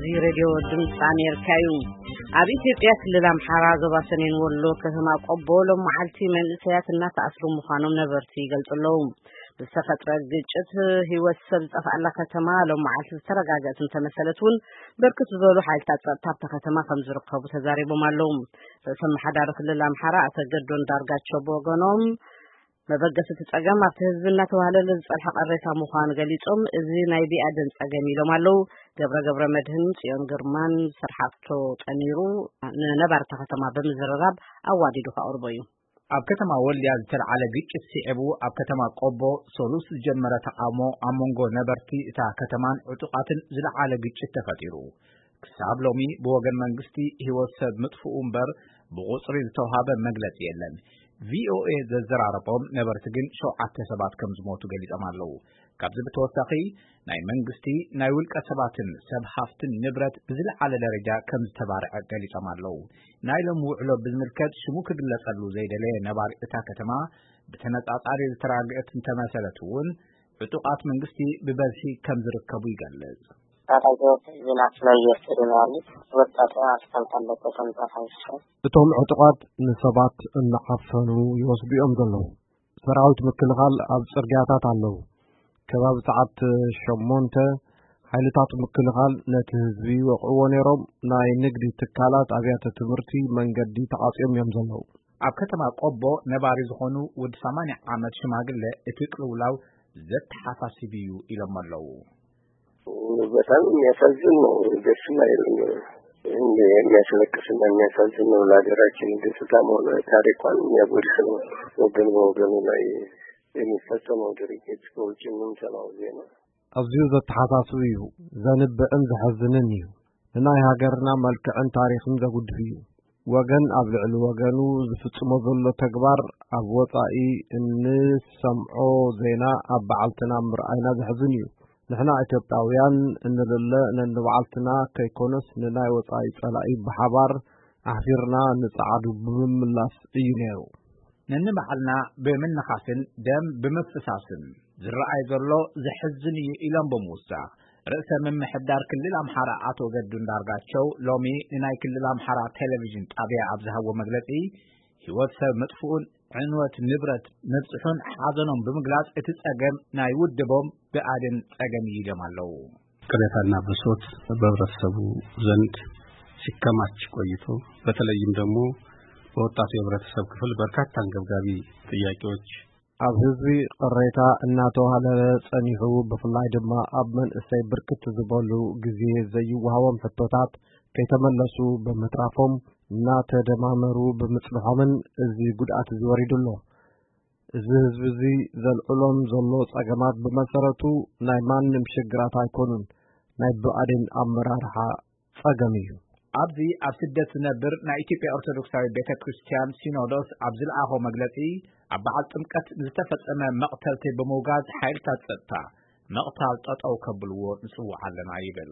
እዚ ሬድዮ ድምፂ ኣሜሪካ እዩ። ኣብ ኢትዮጵያ ክልል ኣምሓራ ዞባ ሰሜን ወሎ ከተማ ቆቦ ሎም መዓልቲ መንእሰያት እናተኣስሩ ምዃኖም ነበርቲ ይገልጹ ኣለዉ። ብዝተፈጥረ ግጭት ህይወት ሰብ ዝጠፍኣላ ከተማ ሎም መዓልቲ ዝተረጋገእት እንተመሰለት እውን፣ ብርክት ዝበሉ ሓይልታት ጸጥታ ኣብታ ከተማ ከም ዝርከቡ ተዛሪቦም ኣለዉ። ርእሰ ምሓዳሪ ክልል ኣምሓራ ኣቶ ገዱ ኣንዳርጋቸው ብወገኖም፣ መበገሲ እቲ ጸገም ኣብቲ ህዝቢ እናተዋህለለ ዝጸንሐ ቅሬታ ምዃኑ ገሊጾም፣ እዚ ናይ ብኣዴን ጸገም ኢሎም ኣለዉ። ገብረ ገብረ መድህን ጽዮን ግርማን ስርሓቶ ጠሚሩ ንነባርታ ከተማ ብምዝርራብ ኣዋዲዱ ከቕርቦ እዩ። ኣብ ከተማ ወልድያ ዝተልዓለ ግጭት ስዒቡ፣ ኣብ ከተማ ቆቦ ሰሉስ ዝጀመረ ተቓውሞ ኣብ መንጎ ነበርቲ እታ ከተማን ዕጡቓትን ዝለዓለ ግጭት ተፈጢሩ። ክሳብ ሎሚ ብወገን መንግስቲ ህይወት ሰብ ምጥፍኡ እምበር ብቑጽሪ ዝተውሃበ መግለጺ የለን። ቪኦኤ ዘዘራረቦም ነበርቲ ግን ሸውዓተ ሰባት ከም ዝሞቱ ገሊጾም ኣለዉ። ካብዚ ብተወሳኺ ናይ መንግስቲ፣ ናይ ውልቀ ሰባትን ሰብ ሃፍትን ንብረት ብዝለዓለ ደረጃ ከም ዝተባርዐ ገሊጾም ኣለዉ። ናይ ሎም ውዕሎ ብዝምልከት ሽሙ ክግለጸሉ ዘይደለየ ነባሪ እታ ከተማ፣ ብተነጻጻሪ ዝተራግአት እንተመሰለት እውን፣ ዕጡቓት መንግስቲ ብበዝሒ ከም ዝርከቡ ይገልጽ። ታጣቂዎች ዝናት ነው እየወሰዱ ነው ያሉት። ወጣቱ አስፋልት አለበት፣ ተንቀሳቅሶ። እቶም ዕጡቓት ንሰባት እናዓፈኑ ይወስዱ እዮም ዘለዉ። ሰራዊት ምክልኻል ኣብ ጽርግያታት ኣለዉ። ከባቢ ሰዓት ሸሞንተ ሓይልታት ምክልኻል ነቲ ህዝቢ ይወቕዕዎ ነይሮም። ናይ ንግዲ ትካላት፣ ኣብያተ ትምህርቲ፣ መንገዲ ተዓጽዮም እዮም ዘለዉ። ኣብ ከተማ ቆቦ ነባሪ ዝኾኑ ወዲ ሰማንያ ዓመት ሽማግለ፣ እቲ ቅልውላው ዘተሓሳስብ እዩ ኢሎም ኣለዉ። በጣም የሚያሳዝን ነው። ደስም አይልም። እንደ የሚያስለቅስና የሚያሳዝን ነው። ለሀገራችን ገጽታ መሆኑ ታሪኳን የሚያጎድፍ ነው። ወገን በወገኑ ላይ የሚፈጸመው ድርጊት በውጭ የምንሰማው ዜና። ኣዝዩ ዘተሓሳስብ እዩ። ዘንብዕን ዘሐዝንን እዩ። ንናይ ሃገርና መልክዕን ታሪኽን ዘጉድፍ እዩ። ወገን ኣብ ልዕሊ ወገኑ ዝፍጽሞ ዘሎ ተግባር ኣብ ወጻኢ እንሰምዖ ዜና ኣብ በዓልትና ምርኣይና ዘሕዝን እዩ። ንሕና ኢትዮጵያውያን እንልለ ነንባዕልትና ከይኮነስ ንናይ ወጻኢ ጸላኢ ብሓባር ኣሕፊርና ንጸዓዱ ብምምላስ እዩ ነይሩ። ነንባዕልና ብምንኻስን ደም ብምፍሳስን ዝረኣይ ዘሎ ዘሕዝን እዩ ኢሎም ብምውሳኽ፣ ርእሰ ምምሕዳር ክልል ኣምሓራ ኣቶ ገዱ እንዳርጋቸው ሎሚ ንናይ ክልል ኣምሓራ ቴሌቪዥን ጣብያ ኣብ ዝሃብዎ መግለጺ፣ ህይወት ሰብ ምጥፍኡን ዕንወት ንብረት ምብጽሑን ሓዘኖም ብምግላጽ፣ እቲ ጸገም ናይ ውድቦም ብኣዴን ጸገም እዩ ኢሎም ኣለዉ። ቅሬታና ብሶት በህብረተሰቡ ዘንድ ሲከማች ቆይቶ፣ በተለይም ደግሞ በወጣቱ የህብረተሰብ ክፍል በርካታ አንገብጋቢ ጥያቄዎች ኣብ ህዝቢ ቅሬታ እናተዋህለለ ጸኒሑ፣ ብፍላይ ድማ ኣብ መንእሰይ ብርክት ዝበሉ ግዜ ዘይወሃቦም ሕቶታት ከይተመለሱ ብምትራፎም፣ እናተደማመሩ ብምጽንሖምን እዚ ጉድኣት እዚ ወሪዱ ኣሎ። እዚ ህዝቢ እዚ ዘልዕሎም ዘሎ ጸገማት ብመሰረቱ ናይ ማንም ሽግራት ኣይኮኑን፣ ናይ ብኣዴን ኣመራርሓ ጸገም እዩ። ኣብዚ ኣብ ስደት ዝነብር ናይ ኢትዮጵያ ኦርቶዶክሳዊ ቤተ ክርስቲያን ሲኖዶስ ኣብ ዝለኣኾ መግለጺ፣ ኣብ በዓል ጥምቀት ንዝተፈጸመ መቕተልቲ ብምውጋዝ ሓይልታት ጸጥታ ምቕታል ጠጠው ከብልዎ ንጽውዕ ኣለና ይብል።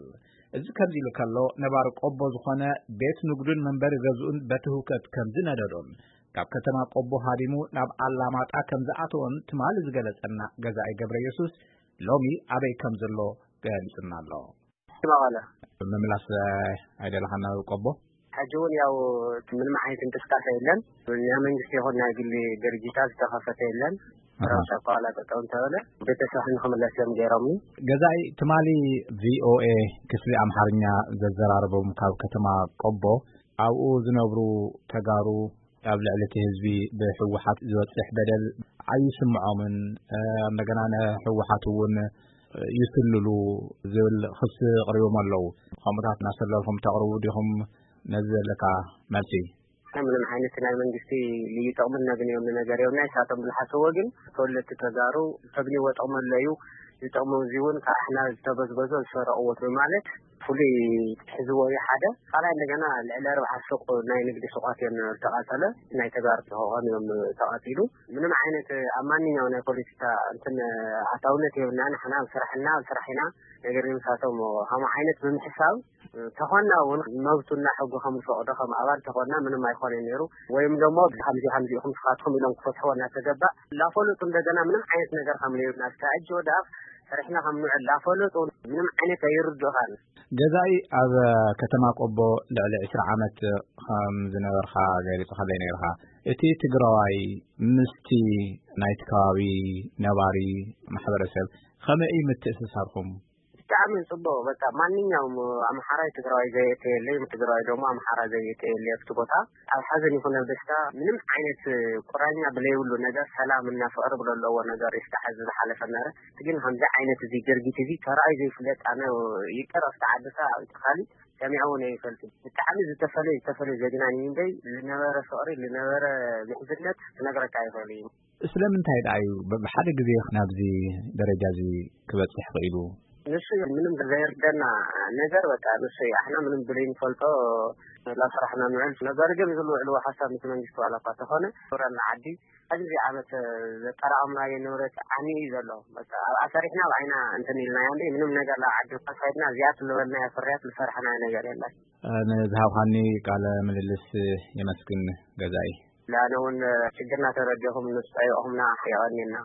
እዚ ከምዚ ኢሉ ከሎ፣ ነባሪ ቆቦ ዝኾነ ቤት ንግዱን መንበሪ ገዝኡን በቲ ህውከት ከም ዝነደዶን ካብ ከተማ ቆቦ ሃዲሙ ናብ ኣላማጣ ከም ዝኣተወን ትማሊ ዝገለጸና ገዛኢ ገብረ የሱስ ሎሚ ኣበይ ከም ዘሎ ገሊጹና ኣሎ። መቐለ። ምምላስ ኣይደለኻን ናብ ቆቦ? ሕጂ እውን ያው ምንም ዓይነት እንቅስቃሴ የለን። ናይ መንግስቲ ይኹን ናይ ግሊ ድርጅታት ዝተኸፈተ የለን። ኣሃ። ረብሻ ከዋላ ጠጠው እንተበለ ቤተሰብ ንክምለስ እዮም ገይሮምኒ። ገዛኢ ትማሊ ቪኦኤ ክፍሊ ኣምሓርኛ ዘዘራረቦም ካብ ከተማ ቆቦ፣ ኣብኡ ዝነብሩ ተጋሩ ኣብ ልዕሊ እቲ ህዝቢ ብህወሓት ዝበፅሕ በደል ኣይስምዖምን፣ እ፣ እንደገና ንህወሓት እውን ይስልሉ ዝብል ክሲ ኣቕሪቦም ኣለዉ። ከምኡታት እናሰለልኩም ተቕርቡ ዲኹም? ነዚ ዘለካ መልሲ። ምንም ዓይነት ናይ መንግስቲ ልዩ ጥቕምን ነግንዮም ነገር የብልና። ንሳቶም ብዝሓሰብዎ ግን ተወለድቲ ተጋሩ ተግንይዎ ጥቕሚ ኣሎ እዩ። እዚ ጥቕሚ እዚ እውን ካብ ኣሕና ዝተበዝበዞ ዝሰረቕዎ ብማለት ፍሉይ ሒዝዎ እዩ ሓደ። ካልኣይ እንደገና ልዕሊ ኣርባዓ ሱቕ ናይ ንግዲ ሱቓት እዮም ዝተቓጸለ። ናይ ተጋሩ ክኾኑ እዮም ተቓጺሉ። ምንም ዓይነት ኣብ ማንኛው ናይ ፖለቲካ እንትን ኣታውነት የብልና። ንሕና ኣብ ስራሕና ኣብ ስራሕ ኢና። ነገር ግን ንሳቶም ከምኡ ዓይነት ብምሕሳብ ተኾንና እውን መብቱና ሕጉ ከም ዝፈቕዶ ከም ኣባል ተኾንና ምንም ኣይኮነን ነይሩ። ወይም ደሞ ከምዚ ከምዚ ኢኹም ስኻትኩም ኢሎም ክፈትሕዎ እናተገባእ እናፈለጡ እንደገና ምንም ዓይነት ነገር ከም ለዩና እስካብ ሕጂ ወደ ኣፍ ሰሪሕና ከም ንውዕል ላፈለጡ ምንም ዓይነት ኣይርድኡኻን። ገዛኢ ኣብ ከተማ ቆቦ ልዕሊ ዕስራ ዓመት ከም ዝነበርካ ገሊጽካለይ ነይርካ። እቲ ትግራዋይ ምስቲ ናይቲ ከባቢ ነባሪ ማሕበረሰብ ከመይ እዩ ምትእስሳርኩም? ብጣዕሚ ጽቡቕ። በቃ ማንኛውም ኣምሓራይ ትግራዋይ ዘየእተየለይ፣ ትግራዋይ ደሞ ኣምሓራ ዘየእተየለይ ኣብቲ ቦታ ኣብ ሓዘን ይኹን ኣብ ደስታ ምንም ዓይነት ቁራኛ ብለይብሉ ነገር ሰላም እና ፍቕሪ ብለለዎ ነገር ይፍታሕ እዚ ዝሓለፈ ነበረ። ግን ከምዚ ዓይነት እዚ ድርጊት እዚ ተራእዩ ዘይፍለጥ ኣነ ይቅር ኣብቲ ዓድካ ኣብቲ ካሊእ ሰሚዐ እውን ኣይፈልጥን። ብጣዕሚ ዝተፈለየ ዝተፈለየ ዘግናኒ እምበይ ዝነበረ ፍቕሪ ዝነበረ ምሕዝነት ክነግረካ ኣይኽእል እዩ። ስለምንታይ ደኣ እዩ ብ- ብሓደ ግዜ ናብዚ ደረጃ እዚ ክበጽሕ ክኢሉ? ንሱ እዩ ምንም ዘይርደና ነገር በቃ ንሱ እዩ ኣሕና ምንም ብለይ ንፈልጦ ላስራሕና ንውዕል ነገር ግን ዝልውዕልዎ ሓሳብ ምስ መንግስቲ ዋላ እኳ ተኾነ ኖረና ዓዲ ኣብዚ ዓመት ዘጠራቐምናዮ ንብረት ዓኒ እዩ ዘሎ። በቃ ኣብኣ ሰሪሕና ኣብኣይና እንትን ኢልናዮ እንደ ምንም ነገር ላ ዓዲ እኳ ከይድና እዚኣ ትልበልናዮ ፍርያት ዝሰርሕናዮ ነገር የለን። ንዝሃብካኒ ቃለ ምልልስ የመስግን ገዛኢ። ላነ እውን ችግርና ተረዲኹም ንስጠይቑምና የቐኒና።